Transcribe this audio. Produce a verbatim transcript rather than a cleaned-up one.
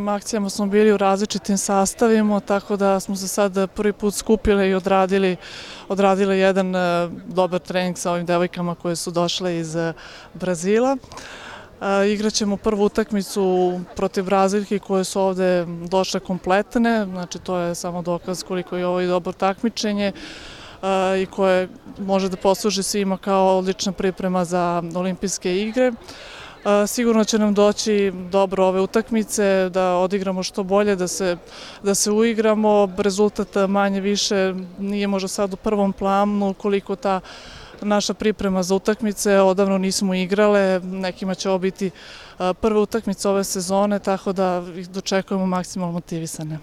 Akcijama smo bili u različitim sastavima, tako da smo se sad prvi put skupile i odradili, odradili jedan dobar trening sa ovim devojkama koje su došle iz Brazila. Igraćemo prvu utakmicu protiv Brazilki koje su ovde došle kompletne, znači to je samo dokaz koliko je ovo i dobro takmičenje i koje može da posluži svima kao odlična priprema za olimpijske igre. Sigurno će nam doći dobro ove utakmice, da odigramo što bolje, da se, da se uigramo. Rezultat manje više nije možda sad u prvom planu, koliko ta naša priprema za utakmice, odavno nismo igrale, nekima će ovo biti prva utakmica ove sezone, tako da ih dočekujemo maksimalno motivisane.